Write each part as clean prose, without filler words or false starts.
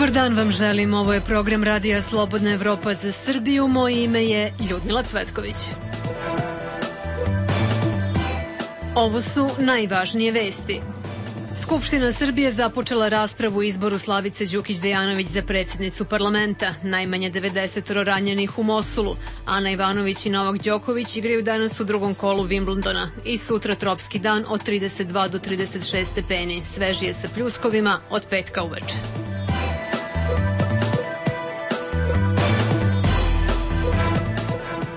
Dobar dan vam želim, ovo je program Radija Slobodna Evropa za Srbiju, moje ime je Ljudmila Cvetković. Ovo su najvažnije vesti. Skupština Srbije započela raspravu o izboru Slavice Đukić Dejanović za predsjednicu parlamenta. Najmanje 90 ranjenih u Mosulu. Ana Ivanović i Novak Đoković igraju danas u drugom kolu Wimbledona. I sutra tropski dan od 32 do 36 stepeni. Svežije sa pljuskovima od petka uveče.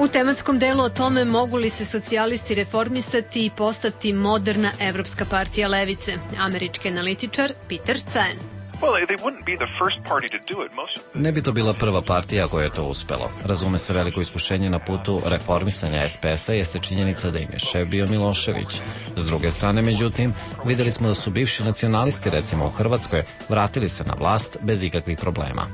U tematskom delu o tome mogu li se socijalisti reformisati i postati moderna evropska partija levice. Američki analitičar Peter Caen. Ne bi to bila prva partija koja je to uspelo. Razume se, veliko iskušenje na putu reformisanja SPS-a jeste činjenica da im je šef bio Milošević. S druge strane, međutim, videli smo da su bivši nacionalisti, recimo u Hrvatskoj, vratili se na vlast bez ikakvih problema.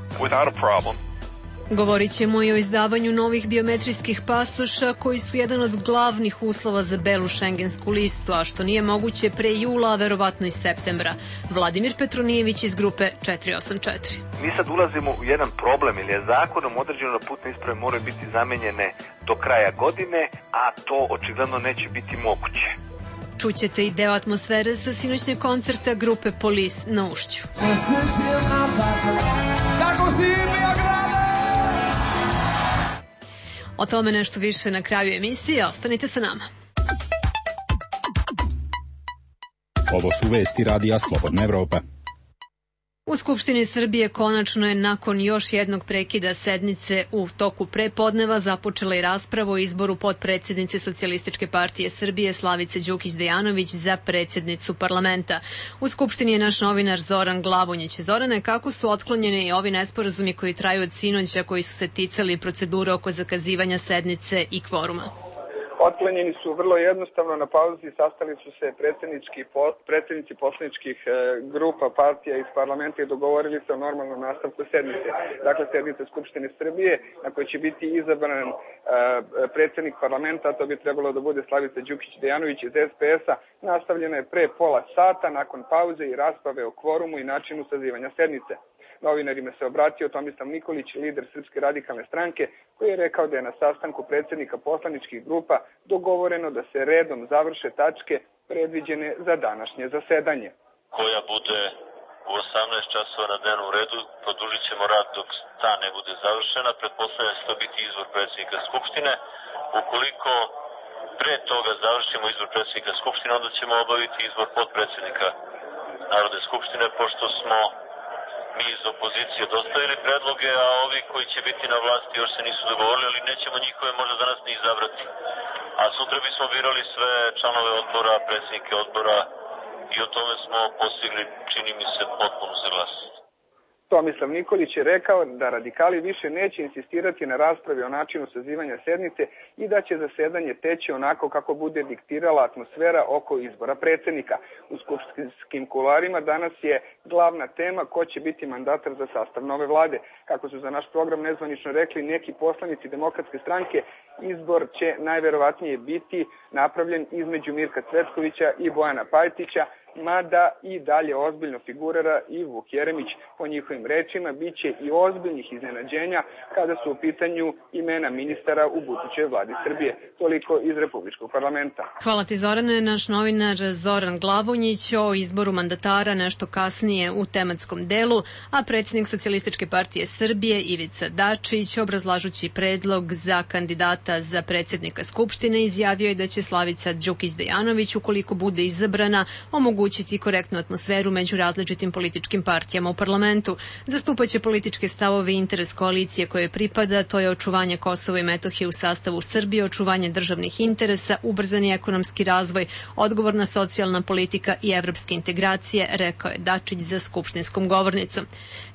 Govorit ćemo i o izdavanju novih biometrijskih pasoša koji su jedan od glavnih uslova za belu šengensku listu, a što nije moguće pre jula, a verovatno i septembra. Vladimir Petronijević iz grupe 484. Mi sad ulazimo u jedan problem, ili je zakonom određeno da putne isprave moraju biti zamenjene do kraja godine, a to očigledno neće biti moguće. Čućete i deo atmosfere sa sinoćnjeg koncerta grupe Polis na Ušću. O tome nešto više na kraju emisije, ostanite sa nama. Ovo su vesti Radija Slobodna Evropa. U Skupštini Srbije konačno je nakon još jednog prekida sednice u toku prepodneva započela i rasprava o izboru potpredsjednice Socijalističke partije Srbije Slavice Đukić Dejanović za predsjednicu parlamenta. U Skupštini je naš novinar Zoran Glavonjić. Zorane, kako su otklonjeni ovi nesporazumi koji traju od sinoća, koji su se ticali procedure oko zakazivanja sednice i kvoruma? Otklonjeni su vrlo jednostavno, na pauzi sastali su se predsjednici poslaničkih grupa partija iz parlamenta i dogovorili se o normalnom nastavku sednice. Dakle, sednice Skupštine Srbije na kojoj će biti izabran predsjednik parlamenta, a to bi trebalo da bude Slavica Đukić Dejanović iz SPS-a, nastavljena je pre pola sata nakon pauze i rasprave o kvorumu i načinu sazivanja sednice. Novinarima se obratio Tomislav Nikolić, lider Srpske radikalne stranke, koji je rekao da je na sastanku predsjednika poslaničkih grupa dogovoreno da se redom završe tačke predviđene za današnje zasedanje. Koja bude u 18 časova na dnevnom redu, produžit ćemo rad dok ta ne bude završena. Pretpostavljam da će to biti izbor predsjednika Skupštine. Ukoliko pre toga završimo izbor predsjednika Skupštine, onda ćemo obaviti izbor potpredsjednika Narodne skupštine, pošto smo mi iz opozicije dostavili predloge, a ovi koji će biti na vlasti još se nisu dogovorili, ali nećemo njihove možda danas ni izabrati. A sutra bismo birali sve članove odbora, predsjednike odbora i o tome smo postigli, čini mi se, potpunu saglasnost. Tomislav Nikolić je rekao da radikali više neće insistirati na raspravi o načinu sazivanja sednice i da će zasedanje teći onako kako bude diktirala atmosfera oko izbora predsjednika. U skupštinskim kuloarima danas je glavna tema ko će biti mandatar za sastav nove vlade. Kako su za naš program nezvanično rekli neki poslanici Demokratske stranke, izbor će najverovatnije biti napravljen između Mirka Cvetkovića i Bojana Pajtića, mada i dalje ozbiljno figurira i Vuk Jeremić. Po njihovim rečima biće i ozbiljnih iznenađenja kada su u pitanju imena ministara u budućoj vladi Srbije. Toliko iz Republičkog parlamenta. Hvala ti, Zorane. Naš novinar Zoran Glavonjić o izboru mandatara nešto kasnije u tematskom delu, a predsjednik Socijalističke partije Srbije Ivica Dačić, obrazlažući predlog za kandidata za predsjednika Skupštine, izjavio je da će Slavica Đukić Dejanović, ukoliko bude izabrana, omogućiti korektnu atmosferu među različitim političkim partijama u parlamentu. Zastupaće političke stavove i interes koalicije koje pripada, to je očuvanje Kosova i Metohije u sastavu Srbije, očuvanje državnih interesa, ubrzani ekonomski razvoj, odgovorna socijalna politika i evropske integracije, rekao je Dačić za skupštinskom govornicom.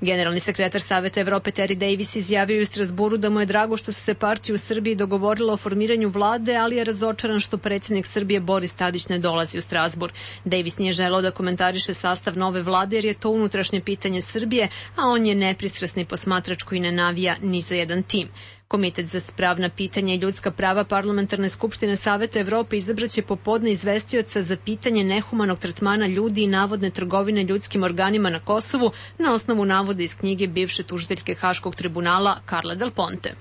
Generalni sekretar Saveta Evrope Terry Davis izjavio u Strasburu da mu je drago što su se partije u Srbiji dogovorile o formiranju vlade, ali je razočaran što predsjednik Srbije Boris Tadić ne dolazi u Strasbur. Davis nije želeo da komentariše sastav nove vlade jer je to unutrašnje pitanje Srbije, a on je nepristrasni posmatrač koji ne navija ni za jedan tim. Komitet za pravna pitanja i ljudska prava Parlamentarne skupštine Saveta Evrope izabraće popodne izvestioca za pitanje nehumanog tretmana ljudi i navodne trgovine ljudskim organima na Kosovu na osnovu navoda iz knjige bivše tužiteljke Haškog tribunala Carle Del Ponte.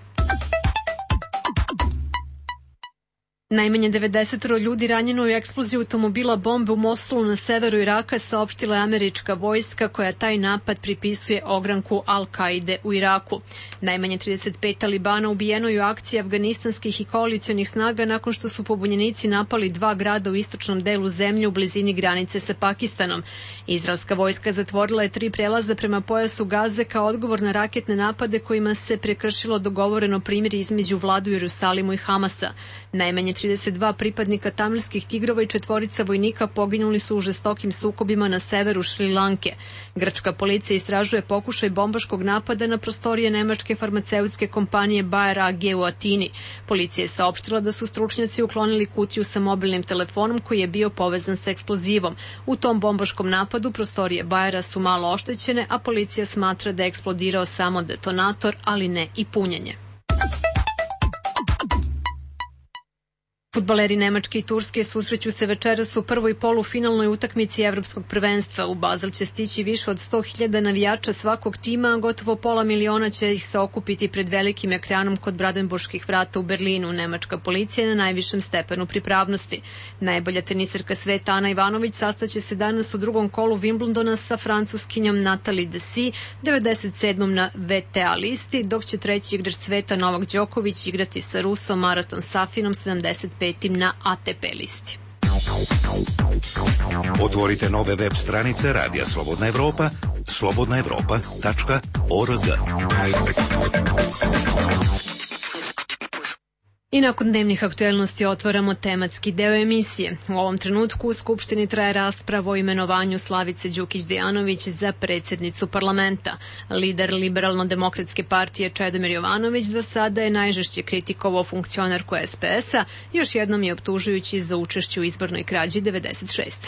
Najmanje 90 ljudi ranjeno u eksploziji automobila bombe u Mosulu na severu Iraka, saopštila je američka vojska koja taj napad pripisuje ogranku Al-Kaide u Iraku. Najmanje 35 talibana ubijeno je u akciji afganistanskih i koalicionih snaga nakon što su pobunjenici napali 2 grada u istočnom delu zemlje u blizini granice sa Pakistanom. Izraelska vojska zatvorila je 3 prelaza prema pojasu Gaze kao odgovor na raketne napade kojima se prekršilo dogovoreno primirje između vlade u Jerusalimu i Hamasa. Najmanje 32 pripadnika tamilskih tigrova i 4 vojnika poginuli su u žestokim sukobima na severu Šri Lanke. Grčka policija istražuje pokušaj bombaškog napada na prostorije nemačke farmaceutske kompanije Bayer AG u Atini. Policija je saopštila da su stručnjaci uklonili kutiju sa mobilnim telefonom koji je bio povezan sa eksplozivom. U tom bombaškom napadu prostorije Bayera su malo oštećene, a policija smatra da je eksplodirao samo detonator, ali ne i punjenje. Fudbaleri Nemačke i Turske susreću se večeras u prvoj polufinalnoj utakmici Evropskog prvenstva. U Basel će stići više od 100.000 navijača svakog tima, a gotovo pola miliona će ih se okupiti pred velikim ekranom kod Brandenburških vrata u Berlinu. Nemačka policija je na najvišem stepenu pripravnosti. Najbolja teniserka sveta Ana Ivanović sastaće se danas u drugom kolu Wimbledona sa Francuskinjom Natalie Dessy, 97. na WTA listi, dok će treći igrač sveta Novak Đoković igrati sa Rusom Maraton Safinom 75. na ATP listi. Otvorite nove web stranice Radija Slobodna Evropa, slobodnaevropa.org. I nakon dnevnih aktuelnosti otvaramo tematski deo emisije. U ovom trenutku u Skupštini traje rasprava o imenovanju Slavice Đukić Dejanović za predsjednicu parlamenta. Lider Liberalno-demokratske partije Čedomir Jovanović do sada je najžešće kritikovao funkcionarku SPS-a, još jednom je optužujući za učešće u izbornoj krađi 96.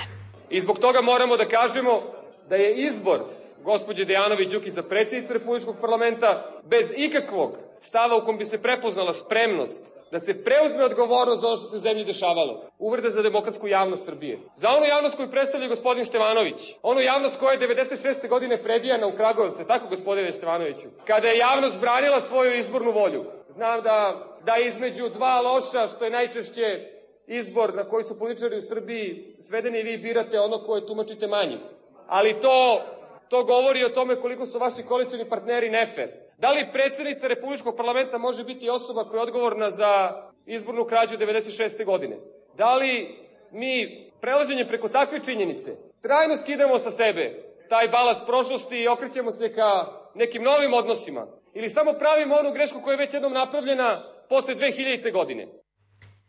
I zbog toga moramo da kažemo da je izbor gospođe Dejanović Đukić za predsjednicu Republičkog parlamenta bez ikakvog stava u kom bi se prepoznala spremnost da se preuzme odgovornost za ono što se u zemlji dešavalo. Uvreda za demokratsku javnost Srbije. Za onu javnost koju predstavlja gospodin Stevanović. Onu javnost koja je 96. godine prebijana u Kragujevcu, tako gospodine Stevanoviću. Kada je javnost branila svoju izbornu volju. Znam da između dva loša, što je najčešće izbor na koji su političari u Srbiji svedeni, i vi birate ono koje tumačite manjim. Ali to govori o tome koliko su vaši koalicioni partneri nefer. Da li predsjednica Republičkog parlamenta može biti osoba koja je odgovorna za izbornu krađu 96. godine? Da li mi prelaženjem preko takve činjenice trajno skidamo sa sebe taj balast prošlosti i okrećemo se ka nekim novim odnosima? Ili samo pravimo onu grešku koja je već jednom napravljena posle 2000. godine?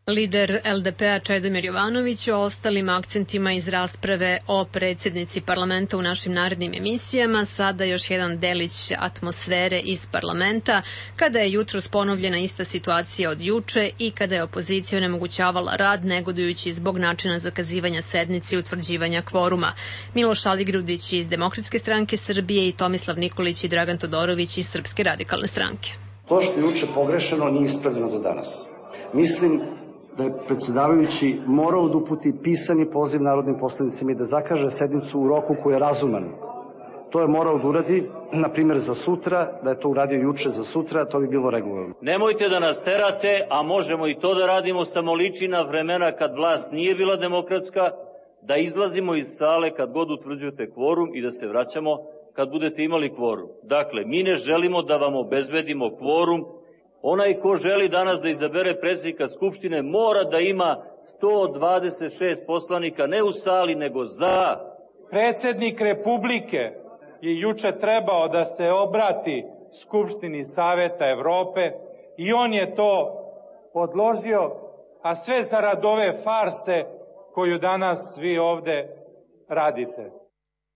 Lider LDP-a Čedomir Jovanović o ostalim akcentima iz rasprave o predsjednici parlamenta u našim narednim emisijama. Sada još jedan delić atmosfere iz parlamenta, kada je jutros ponovljena ista situacija od juče i kada je opozicija onemogućavala rad, negodujući zbog načina zakazivanja sednice i utvrđivanja kvoruma. Miloš Aligrudić iz Demokratske stranke Srbije i Tomislav Nikolić i Dragan Todorović iz Srpske radikalne stranke. To što je juče pogrešeno nije ispravljeno do danas. Mislim da je predsjedavajući morao da uputi pisani poziv narodnim poslanicima i da zakaže sednicu u roku koji je razuman. To je morao da uradi, na primjer, za sutra, da je to uradio juče za sutra, to bi bilo regularno. Nemojte da nas terate, a možemo i to da radimo, samo liči na vremena kad vlast nije bila demokratska, da izlazimo iz sale kad god utvrđujete kvorum i da se vraćamo kad budete imali kvorum. Dakle, mi ne želimo da vam obezbedimo kvorum. Onaj ko želi danas da izabere predsjednika Skupštine mora da ima 126 poslanika, ne u sali, nego za. Predsjednik Republike je juče trebao da se obrati Skupštini Saveta Evrope i on je to odložio, a sve zarad ove farse koju danas vi ovde radite.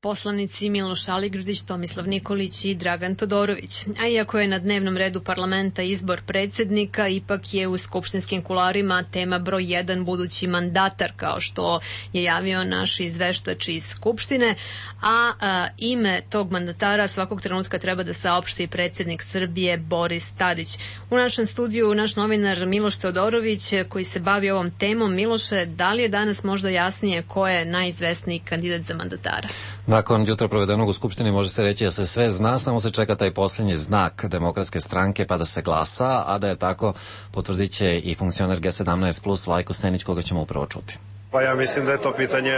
poslanici Miloš Aligrudić, Tomislav Nikolić i Dragan Todorović. A iako je na dnevnom redu parlamenta izbor predsednika, ipak je u skupštinskim kularima tema broj 1 budući mandatar, kao što je javio naš izveštač iz Skupštine, a ime tog mandatara svakog trenutka treba da saopšti predsednik Srbije Boris Tadić. U našem studiju naš novinar Miloš Teodorović, koji se bavi ovom temom. Miloše, da li je danas možda jasnije ko je najizvesniji kandidat za mandatara? Nakon jutra provedenog u Skupštini može se reći da se sve zna, samo se čeka taj posljednji znak Demokratske stranke pa da se glasa, a da je tako potvrdit će i funkcioner G17 plus Vlajko Senić, koga ćemo upravo čuti. Pa ja mislim da je to pitanje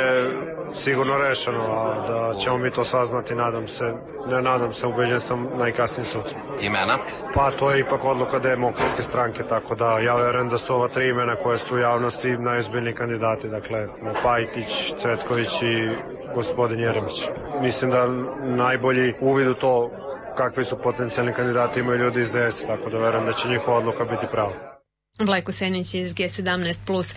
sigurno rešeno, a da ćemo mi to saznati, nadam se, ubeđen sam najkasnije sutra. Imena? Pa to je ipak odluka Demokratske stranke, tako da ja verujem da su ova 3 imena koje su u javnosti najozbiljniji kandidati, dakle Pajtić, Cvetković i gospodin Jeremić. Mislim da najbolji uvid u to kakvi su potencijalni kandidati imaju ljudi iz DS, tako da verujem da će njihova odluka biti prava. Vlajko Senić iz G17+.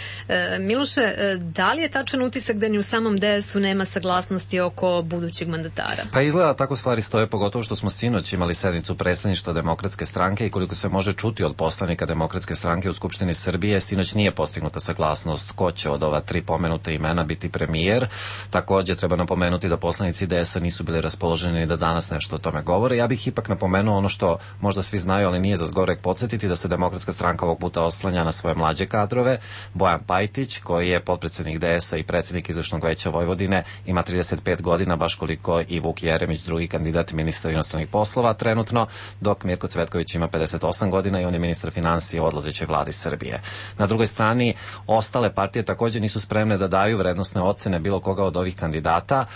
Miloše, da li je tačan utisak da ni u samom DS-u nema saglasnosti oko budućeg mandatara? Pa izgleda tako stvari stoje, pogotovo što smo sinoć imali sednicu predstavništva Demokratske stranke i koliko se može čuti od poslanika Demokratske stranke u Skupštini Srbije, sinoć nije postignuta saglasnost ko će od ova 3 pomenuta imena biti premijer. Takođe treba napomenuti da poslanici DS-a nisu bili raspoloženi da danas nešto o tome govore. Ja bih ipak napomenuo ono što možda svi znaju, ali nije za zgoreg podsjetiti, da se Demokratska stranka ovog puta oslanja na svoje mlađe kadrove. Bojan Pajtić, koji je potpredsednik DS-a i predsednik Izvršnog veća Vojvodine, ima 35 godina, baš koliko i Vuk Jeremić, drugi kandidat ministra inostranih poslova trenutno, dok Mirko Cvetković ima 58 godina i on je ministar finansija u odlazećoj vladi Srbije. Na drugoj strani, ostale partije takođe nisu spremne da daju vrednosne ocene bilo koga od ovih kandidata,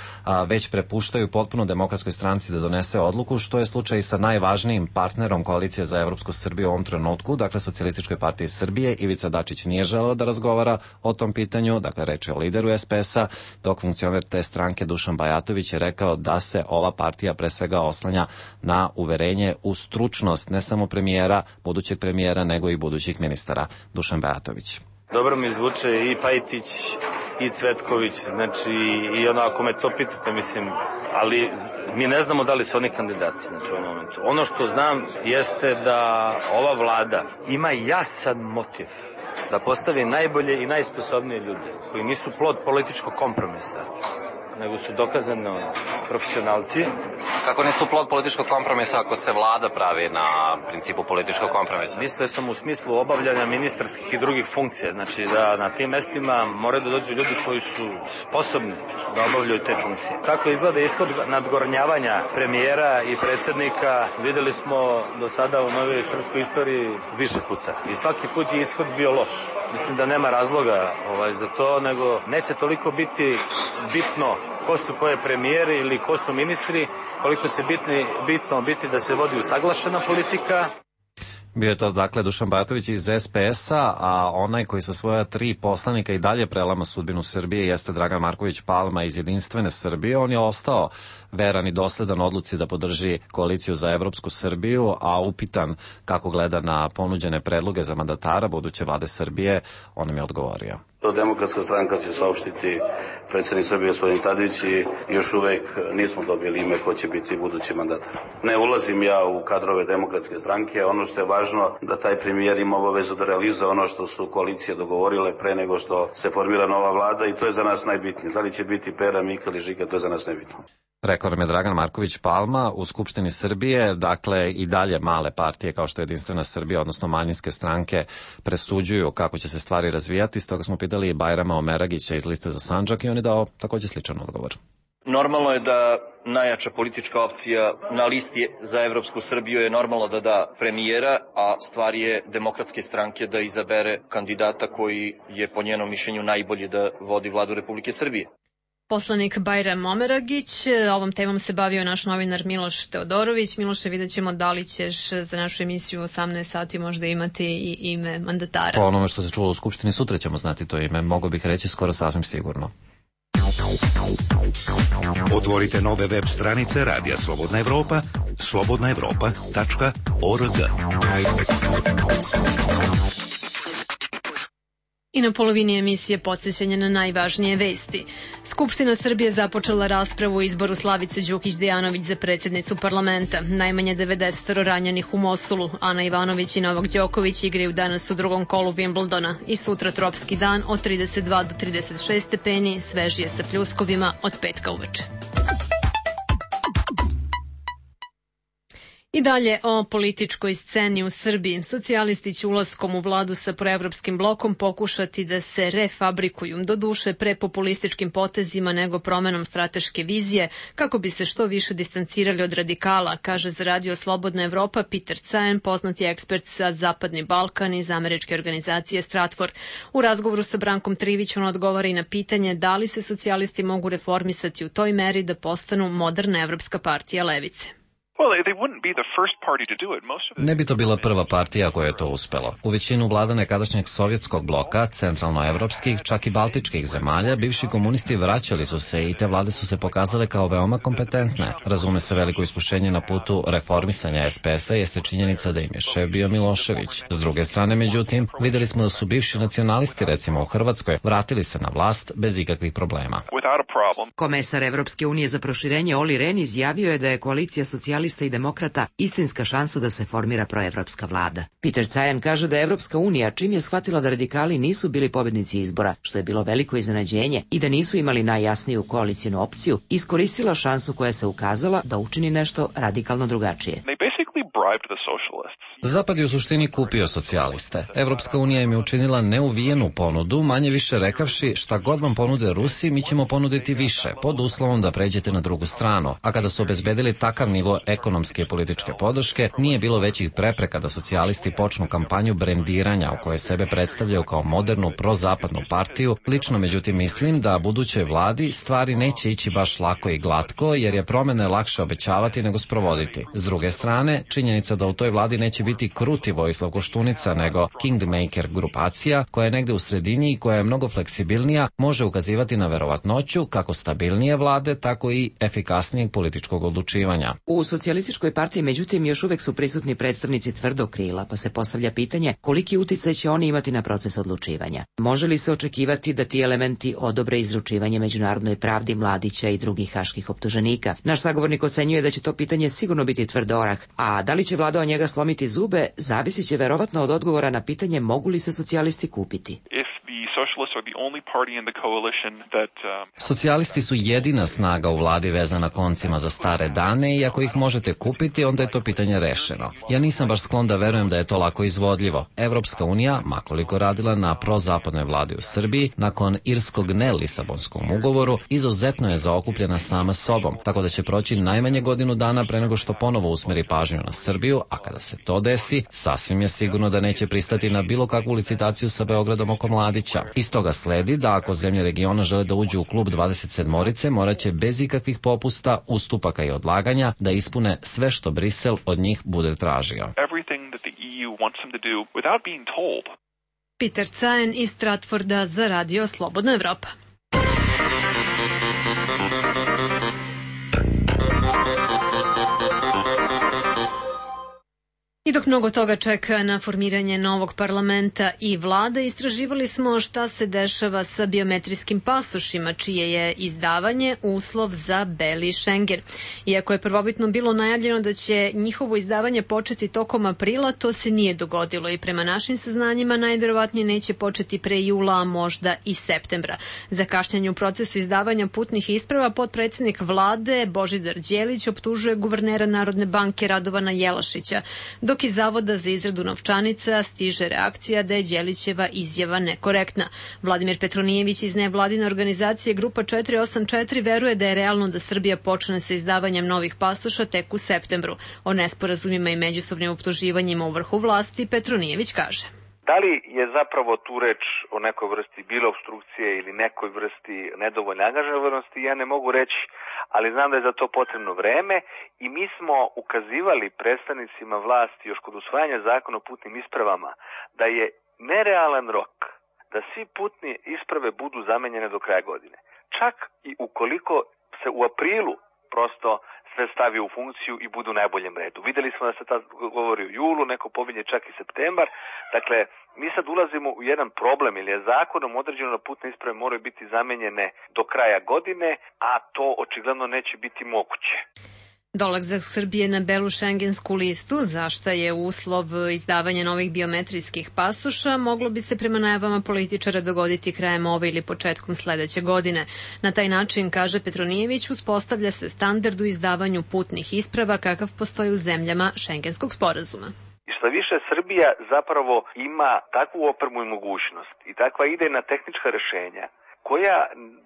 već prepuštaju potpuno Demokratskoj stranci da donese odluku, što je slučaj sa najvažnijim partnerom Koalicije za Evropsku Srbiju u ovom trenutku, dakle Socijalističkoj partiji Srbije. Ivica Dačić nije želeo da razgovara o tom pitanju, dakle reč je o lideru SPS-a, dok funkcioner te stranke Dušan Bajatović je rekao da se ova partija pre svega oslanja na uverenje u stručnost ne samo premijera, budućeg premijera, nego i budućih ministara. Dušan Bajatović. Dobro mi zvuče i Pajtić i Cvetković, znači i ako me to pitate, mislim, ali mi ne znamo da li su oni kandidati, znači u ovom momentu. Ono što znam jeste da ova vlada ima jasan motiv da postavi najbolje i najsposobnije ljude, koji nisu plod političkog kompromisa, nego su dokazano profesionalci. Kako nisu plod političkog kompromisa ako se vlada pravi na principu političkog kompromisa? Mislio sam u smislu obavljanja ministarskih i drugih funkcija, znači da na tim mestima moraju da dođu ljudi koji su sposobni da obavljaju te funkcije. Kako izgleda ishod nadgornjavanja premijera i predsednika, videli smo do sada u novoj srpskoj istoriji više puta. I svaki put je ishod bio loš. Mislim da nema razloga za to, nego neće toliko biti bitno ko su koje premijeri ili ko su ministri, koliko se bitno biti da se vodi usaglašena politika. Bio je to dakle Dušan Bajatović iz SPS-a, a onaj koji sa svoja 3 poslanika i dalje prelama sudbinu Srbije jeste Dragan Marković Palma iz Jedinstvene Srbije. On je ostao veran i dosledan odluci da podrži Koaliciju za Evropsku Srbiju, a upitan kako gleda na ponuđene predloge za mandatara buduće vlade Srbije, on nam je odgovorio. Demokratska stranka će saopštiti predsednik Srbije gospodin Tadić i još uvek nismo dobili ime ko će biti budući mandatar. Ne ulazim ja u kadrove Demokratske stranke, ono što je važno da taj premijer ima obavezu da realizuje ono što su koalicije dogovorile pre nego što se formira nova vlada i to je za nas najbitnije. Da li će biti Pera, Mika ili Žika, to je za nas nebitno. Rekao nam je Dragan Marković Palma. U Skupštini Srbije, dakle i dalje male partije kao što je Jedinstvena Srbija, odnosno manjinske stranke, presuđuju kako će se stvari razvijati. Stoga smo pitali i Bajrama Omeragića iz Liste za Sandžak i on je dao takođe sličan odgovor. Normalno je da najjača politička opcija na listi za Evropsku Srbiju je normalno da da premijera, a stvar je Demokratske stranke da izabere kandidata koji je po njenom mišljenju najbolji da vodi vladu Republike Srbije. Poslanik Bajram Omeragić, ovom temom se bavio naš novinar Miloš Teodorović. Miloše, vidjet ćemo da li ćeš za našu emisiju u 18 sati možda imati i ime mandatara. Po onome što se čulo u Skupštini, sutra ćemo znati to ime, mogu bih reći skoro sasvim sigurno. Otvorite nove web stranice Radija Slobodna Evropa, slobodnaevropa.org. I na polovini emisije podsjećanje na najvažnije vesti. Skupština Srbije započela raspravu o izboru Slavice Đukić-Dejanović za predsjednicu parlamenta. Najmanje 90 ranjenih u Mosulu. Ana Ivanović i Novak Đoković igraju danas u drugom kolu Wimbledona. I sutra tropski dan od 32 do 36 stepeni, svežije sa pljuskovima od petka uveče. I dalje o političkoj sceni u Srbiji. Socijalisti će ulaskom u vladu sa proevropskim blokom pokušati da se refabrikuju, doduše pre populističkim potezima nego promenom strateške vizije, kako bi se što više distancirali od radikala, kaže za Radio Slobodna Evropa Peter Cajan, poznati ekspert za Zapadni Balkan iz američke organizacije Stratfor. U razgovoru sa Brankom Trivić on odgovara i na pitanje da li se socijalisti mogu reformisati u toj meri da postanu moderna evropska partija levice. Ne bi to bila prva partija koja je to uspelo. U većinu vlada nekadašnjeg sovjetskog bloka, centralnoevropskih, čak i baltičkih zemalja, bivši komunisti vraćali su se i te vlade su se pokazale kao veoma kompetentne. Razume se, veliko iskušenje na putu reformisanja SPS-a jeste činjenica da im je šef bio Milošević. S druge strane, međutim, videli smo da su bivši nacionalisti, recimo u Hrvatskoj, vratili se na vlast bez ikakvih problema. Komesar Evropske unije za proširenje Olli Rehn izjavio je da je koalicija socijalista i demokrata istinska šansa da se formira proevropska vlada. Peter Cajan kaže da je Evropska unija, čim je shvatila da radikali nisu bili pobednici izbora, što je bilo veliko iznenađenje, i da nisu imali najjasniju koalicijnu opciju, iskoristila šansu koja se ukazala da učini nešto radikalno drugačije. Zapad je u suštini kupio socijaliste. Evropska unija im je učinila neuvijenu ponudu, manje više rekavši šta god vam ponude Rusi, mi ćemo ponuditi više, pod uslovom da pređete na drugu stranu. A kada su obezbedili takav nivo ekonomske i političke podrške, nije bilo većih prepreka da socijalisti počnu kampanju brendiranja u kojoj sebe predstavljaju kao modernu prozapadnu partiju. Lično, međutim, mislim da budućoj vladi stvari neće ići baš lako i glatko, jer je promene lakše obećavati nego sprovoditi. S druge strane, činjenica da u toj vladi neće biti kruti Vojislav Koštunica, nego Kingmaker grupacija, koja je negde u sredini i koja je mnogo fleksibilnija, može ukazivati na verovatnoću kako stabilnije vlade, tako i efikasnijeg političkog odlučivanja. U socijalističkoj partiji, međutim, još uvek su prisutni predstavnici tvrdog krila, pa se postavlja pitanje koliki uticaj će oni imati na proces odlučivanja. Može li se očekivati da ti elementi odobre izručivanje međunarodnoj pravdi Mladića i drugih haških optuženika? Naš sagovornik ocenjuje da će to pitanje sigurno biti tvrd orah, a da li će vlada od njega slomiti zube, zavisit će verovatno od odgovora na pitanje mogu li se socijalisti kupiti. Socijalisti su jedina snaga u vladi vezana koncima za stare dane i ako ih možete kupiti, onda je to pitanje rešeno. Ja nisam baš sklon da verujem da je to lako izvodljivo. Evropska unija, makoliko radila na prozapadnoj vladi u Srbiji, nakon irskog ne-Lisabonskom ugovoru, izuzetno je zaokupljena sama sobom, tako da će proći najmanje godinu dana pre nego što ponovo usmeri pažnju na Srbiju, a kada se to desi, sasvim je sigurno da neće pristati na bilo kakvu licitaciju sa Beogradom oko Mladića. Iz toga sledi da ako zemlje regiona žele da uđu u klub 27-orice, morat će bez ikakvih popusta, ustupaka i odlaganja da ispune sve što Brisel od njih bude tražio. Peter Cajan iz Stratforda za Radio Slobodna Evropa. I dok mnogo toga čeka na formiranje novog parlamenta i vlade, istraživali smo šta se dešava sa biometrijskim pasošima, čije je izdavanje uslov za beli Schengen. Iako je prvobitno bilo najavljeno da će njihovo izdavanje početi tokom aprila, to se nije dogodilo i prema našim saznanjima najverovatnije neće početi pre jula, a možda i septembra. Za kašnjenje u procesu izdavanja putnih isprava potpredsednik vlade Božidar Đelić optužuje guvernera Narodne banke Radovana Jelašića, dok iz Zavoda za izradu novčanica stiže reakcija da je Đelićeva izjava nekorektna. Vladimir Petronijević iz nevladine organizacije Grupa 484 veruje da je realno da Srbija počne sa izdavanjem novih pasoša tek u septembru. O nesporazumima i međusobnim optuživanjima u vrhu vlasti Petronijević kaže: Da li je zapravo tu reč o nekoj vrsti bilo obstrukcije ili nekoj vrsti nedovoljne angažovanosti, ja ne mogu reći, ali znam da je za to potrebno vreme i mi smo ukazivali predstavnicima vlasti još kod usvajanja zakona o putnim ispravama da je nerealan rok da svi putne isprave budu zamenjene do kraja godine. Čak i ukoliko se u aprilu prosto sve stavi u funkciju i budu u najboljem redu. Videli smo da se tad govori o julu, neko pominje čak i septembar. Dakle, mi sad ulazimo u jedan problem, jer je zakonom određeno da putne isprave moraju biti zamenjene do kraja godine, a to očigledno neće biti moguće. Dolazak Srbije na belu šengensku listu, za šta je uslov izdavanja novih biometrijskih pasoša, moglo bi se prema najavama političara dogoditi krajem ove ili početkom sledeće godine. Na taj način, kaže Petronijević, uspostavlja se standard u izdavanju putnih isprava kakav postoji u zemljama šengenskog sporazuma. I što više, Srbija zapravo ima takvu opremu i mogućnost i takva idejna tehnička rešenja koja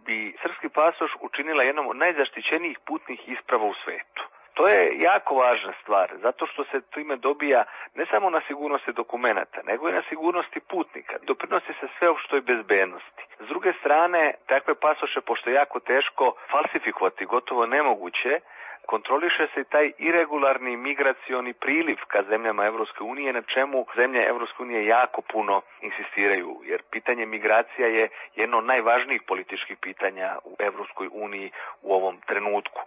bi srpski pasoš učinila jednom od najzaštićenijih putnih isprava u svetu. To je jako važna stvar, zato što se time dobija ne samo na sigurnosti dokumenata, nego i na sigurnosti putnika. Doprinosi se sveopštoj bezbednosti. S druge strane, takve pasoše, pošto je jako teško falsifikovati, gotovo nemoguće, kontroliše se taj irregularni migracioni priliv ka zemljama Evropske unije, na čemu zemlje Evropske unije jako puno insistiraju, jer pitanje migracija je jedno od najvažnijih političkih pitanja u Evropskoj uniji u ovom trenutku.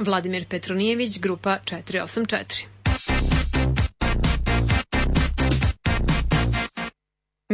Vladimir Petronijević, Grupa 484.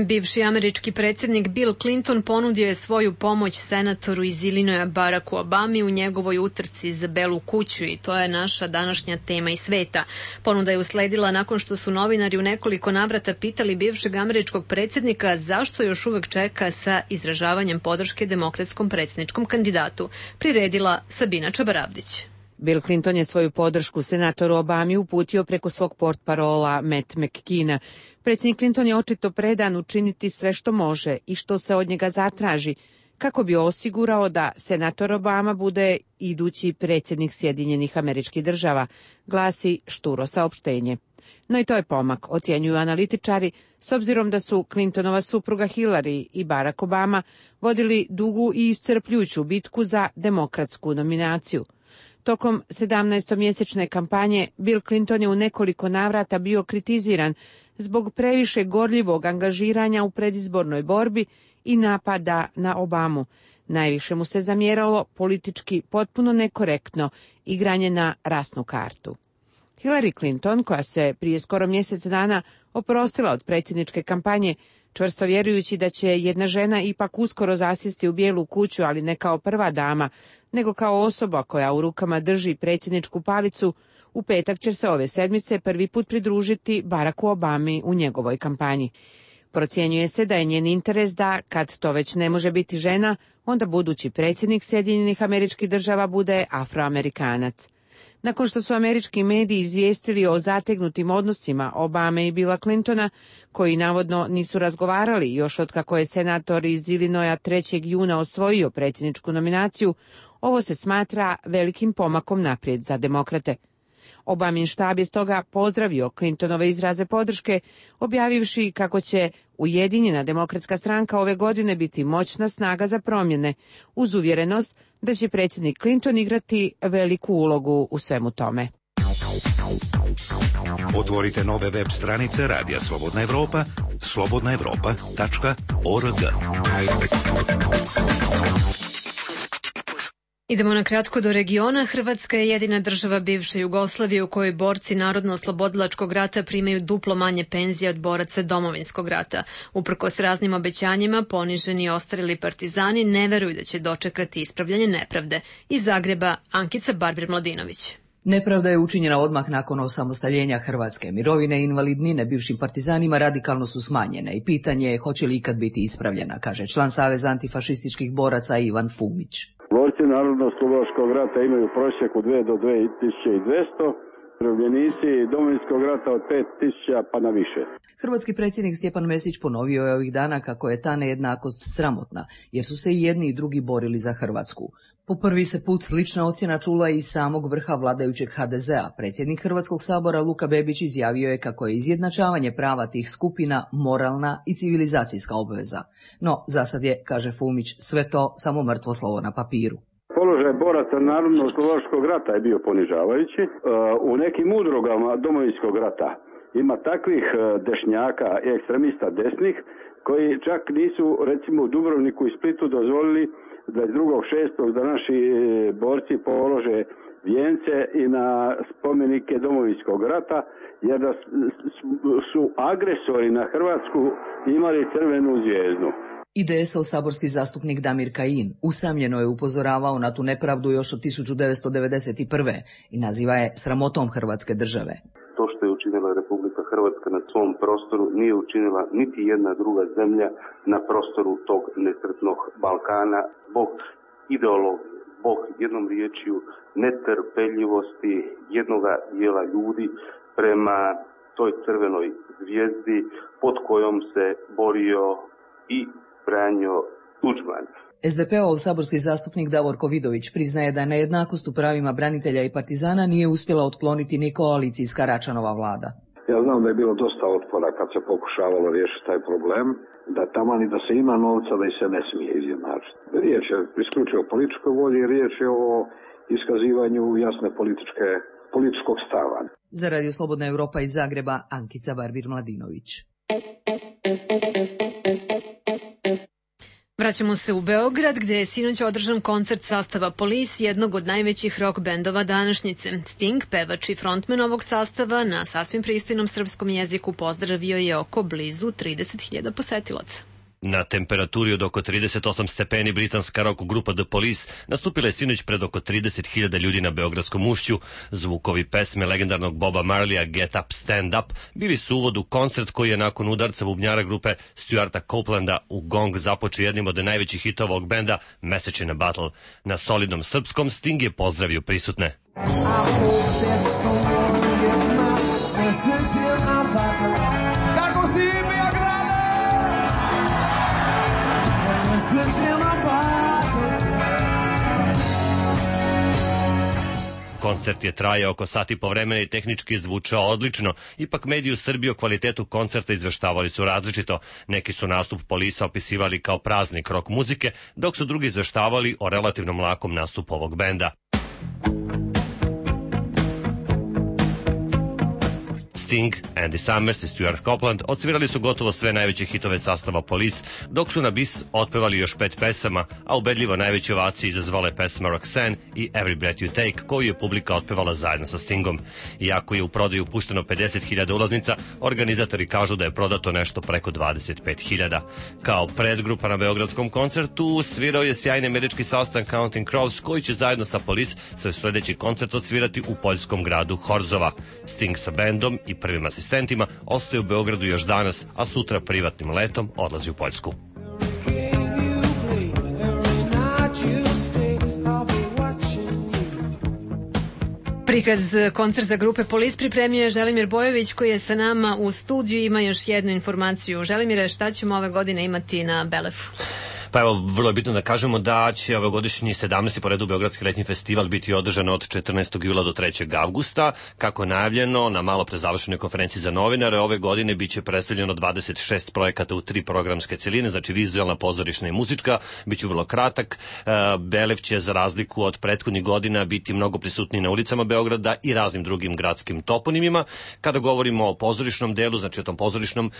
Bivši američki predsjednik Bill Clinton ponudio je svoju pomoć senatoru iz Ilinoja Baracku Obami u njegovoj utrci za Belu kuću i to je naša današnja tema i sveta. Ponuda je usledila nakon što su novinari u nekoliko navrata pitali bivšeg američkog predsjednika zašto još uvek čeka sa izražavanjem podrške demokratskom predsjedničkom kandidatu. Priredila Sabina Čabaravdić. Bill Clinton je svoju podršku senatoru Obami uputio preko svog portparola Matt McKeena. Predsjednik Clinton je očito predan učiniti sve što može i što se od njega zatraži, kako bi osigurao da senator Obama bude idući predsjednik Sjedinjenih Američkih Država, glasi šturo saopštenje. No i to je pomak, ocjenjuju analitičari, s obzirom da su Clintonova supruga Hillary i Barack Obama vodili dugu i iscrpljujuću bitku za demokratsku nominaciju. Tokom 17-mjesečne kampanje Bill Clinton je u nekoliko navrata bio kritiziran zbog previše gorljivog angažiranja u predizbornoj borbi i napada na Obamu. Najviše mu se zamjeralo politički potpuno nekorektno igranje na rasnu kartu. Hillary Clinton, koja se prije skoro mjesec dana oprostila od predsjedničke kampanje, čvrsto vjerujući da će jedna žena ipak uskoro zasjesti u Bijelu kuću, ali ne kao prva dama, nego kao osoba koja u rukama drži predsjedničku palicu, u petak će se ove sedmice prvi put pridružiti Baracku Obami u njegovoj kampanji. Procjenjuje se da je njen interes da, kad to već ne može biti žena, onda budući predsjednik Sjedinjenih Američkih Država bude Afroamerikanac. Nakon što su američki mediji izvijestili o zategnutim odnosima Obame i Billa Clintona, koji navodno nisu razgovarali još od kako je senator iz Ilinoja 3. juna osvojio predsjedničku nominaciju, ovo se smatra velikim pomakom naprijed za demokrate. Obamin štab je stoga pozdravio Clintonove izraze podrške, objavivši kako će Ujedinjena demokratska stranka ove godine biti moćna snaga za promjene, uz uvjerenost da će predsjednik Clinton igrati veliku ulogu u svemu tome. Otvorite nove web stranice Radija Slobodna Evropa, slobodnaevropa.org. Idemo na kratko do regiona. Hrvatska je jedina država bivše Jugoslavije u kojoj borci Narodno-oslobodilačkog rata primaju duplo manje penzije od boraca Domovinskog rata. Uprkos raznim obećanjima, poniženi i ostarili partizani ne veruju da će dočekati ispravljanje nepravde. Iz Zagreba, Ankica Barbir-Mladinović. Nepravda je učinjena odmah nakon osamostaljenja Hrvatske. Mirovine i invalidnine bivšim partizanima radikalno su smanjene i pitanje je hoće li ikad biti ispravljena, kaže član Saveza antifašističkih boraca Ivan Fumić. Borci Narodno-oslobodilačkog rata imaju prosjek od 2 do 2200, umirovljenici Domovinskog rata od 5000 pa na više. Hrvatski predsjednik Stjepan Mesić ponovio je ovih dana kako je ta nejednakost sramotna, jer su se i jedni i drugi borili za Hrvatsku. Po prvi se put slična ocjena čula i iz samog vrha vladajućeg HDZ-a. Predsjednik Hrvatskog sabora Luka Bebić izjavio je kako je izjednačavanje prava tih skupina moralna i civilizacijska obveza. No, zasad je, kaže Fumić, sve to samo mrtvo slovo na papiru. Položaj boraca Narodno-oslobodilačkog rata je bio ponižavajući. U nekim udrugama Domovinskog rata ima takvih dešnjaka i ekstremista desnih koji čak nisu, recimo u Dubrovniku i Splitu, dozvolili 22.6. da naši borci polože vijence i na spomenike Domovinskog rata, jer da su agresori na Hrvatsku imali crvenu zvijezdu. IDS-ov saborski zastupnik Damir Kajin usamljeno je upozoravao na tu nepravdu još od 1991. i naziva je sramotom Hrvatske države. To što je učinila Republika Hrvatska na svom prostoru nije učinila niti jedna druga zemlja na prostoru tog nesretnog Balkana zbog ideologije, zbog jednom riječju netrpeljivosti jednoga dijela ljudi prema toj crvenoj zvijezdi pod kojom se borio i Franjo Tuđman. SDP-ov saborski zastupnik Davorko Vidović priznaje da nejednakost u pravima branitelja i partizana nije uspjela otkloniti ni koalicijska Račanova vlada. Ja znam da je bilo dosta otpora kad se pokušavalo riješiti taj problem, da taman i da se ima novca da i se ne smije izjednačiti. Riječ je isključivo o političkoj volji, riječ je o iskazivanju jasne političkog stava. Za Radio Slobodna Europa iz Zagreba, Ankica Barbir-Mladinović. Vraćamo se u Beograd, gde je sinoć održan koncert sastava Police, jednog od najvećih rock bendova današnjice. Sting, pevač i frontman ovog sastava, na sasvim pristojnom srpskom jeziku pozdravio je oko blizu 30.000 posetilaca. Na temperaturi od oko 38 stepeni britanska rock grupa The Police nastupila je sinoć pred oko 30.000 ljudi na Beogradskom ušću. Zvukovi pesme legendarnog Boba Marleya Get Up, Stand Up bili su uvod u koncert koji je nakon udarca bubnjara grupe Stuarta Coplanda u gong započeo jednim od najvećih hitova ovog benda, Message in a Bottle. Na solidnom srpskom Sting je pozdravio prisutne. Koncert je trajao oko sat i po vremena i tehnički zvučao odlično. Ipak mediji u Srbiji o kvalitetu koncerta izveštavali su različito. Neki su nastup Polisa opisivali kao praznik rock muzike, dok su drugi izveštavali o relativnom lakom nastupu ovog benda. Sting, Andy Summers i Stuart Copeland odsvirali su gotovo sve najveće hitove sastava Police, dok su na bis otpevali još 5 pesama, a ubedljivo najveće ovacije izazvale pesma Roxanne i Every Breath You Take, koju je publika otpevala zajedno sa Stingom. Iako je u prodaju pušteno 50.000 ulaznica, organizatori kažu da je prodato nešto preko 25.000. Kao predgrupa na beogradskom koncertu svirao je sjajni američki sastav Counting Crows, koji će zajedno sa Police svoj sledeći koncert odsvirati u poljskom gradu Horzova. Sting sa bendom i prvim asistentima ostaje u Beogradu još danas, a sutra privatnim letom odlazi u Poljsku. Prikaz koncerta grupe Police pripremio je Želimir Bojović, koji je sa nama u studiju. Ima još jednu informaciju. Želimire, šta ćemo ove godine imati na Belefu? Pa evo, vrlo je bitno da kažemo da će ovogodišnji 17. po redu Beogradski letnji festival biti održan od 14. jula do 3. avgusta. Kako je najavljeno na malo pre završenoj konferenciji za novinare, ove godine biće predstavljeno 26 projekata u 3 programske celine, znači vizualna, pozorišna i muzička. Biće vrlo kratak. Belev će za razliku od prethodnih godina biti mnogo prisutniji na ulicama Beograda i raznim drugim gradskim toponimima. Kada govorimo o pozorišnom delu, znači o tom pozorišnom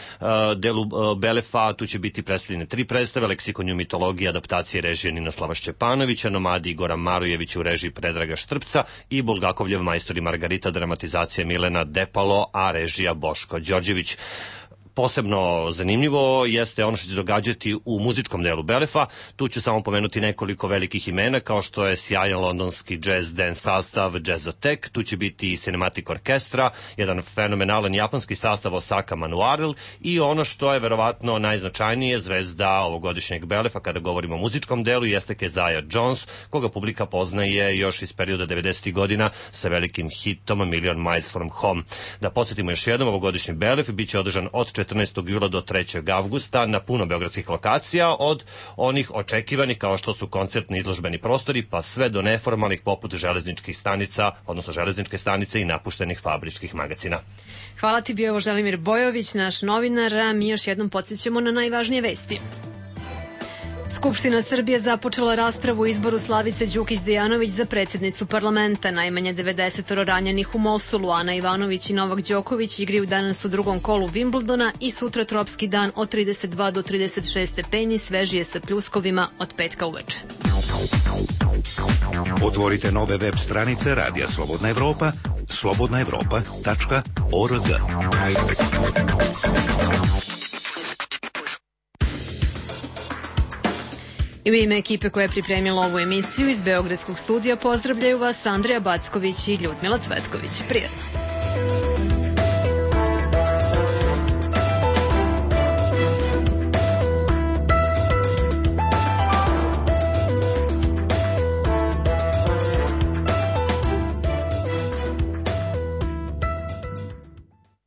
delu Belefa, tu će biti predstavljene 3 predstave: Leksikon mitologije, adaptacije režije Ninoslava Šćepanovića, Nomadi Igora Marujevića u režiji Predraga Štrpca i Bulgakovljev Majstor i Margarita, dramatizacija Milena Depalo, a režija Boško Đorđević. Posebno zanimljivo jeste ono što će se događati u muzičkom delu Belefa. Tu ću samo pomenuti nekoliko velikih imena, kao što je sjajan londonski jazz dance sastav Jazzotek, tu će biti i Cinematic Orkestra, jedan fenomenalan japanski sastav Osaka Manuarel i ono što je verovatno najznačajnije, zvezda ovogodišnjeg Belefa kada govorimo o muzičkom delu, jeste Keziah Jones, koga publika poznaje još iz perioda 90. godina sa velikim hitom Million Miles from Home. Da podsjetimo još jednom, ovogodišnji Belef biće održan od 14. jula do 3. avgusta na puno beogradskih lokacija, od onih očekivanih kao što su koncertni izložbeni prostori, pa sve do neformalnih poput železničkih stanica, odnosno železničke stanice i napuštenih fabričkih magacina. Hvala ti, bio Želimir Bojović, naš novinar, a mi još jednom podsjećamo na najvažnije vesti. Skupština Srbije započela raspravu o izboru Slavice Đukić-Dejanović za predsjednicu parlamenta. Najmanje 90 ranjenih u Mosulu. Ana Ivanović i Novak Đoković igraju danas u drugom kolu Wimbledona i sutra tropski dan od 32 do 36 stepeni, svežije sa pljuskovima od petka uveče. Otvorite nove web stranice Radija Slobodna Evropa, slobodnaevropa.org. I u ime ekipe koja je pripremila ovu emisiju iz Beogradskog studija pozdravljaju vas Andreja Backović i Ljudmila Cvetković. Prijatno!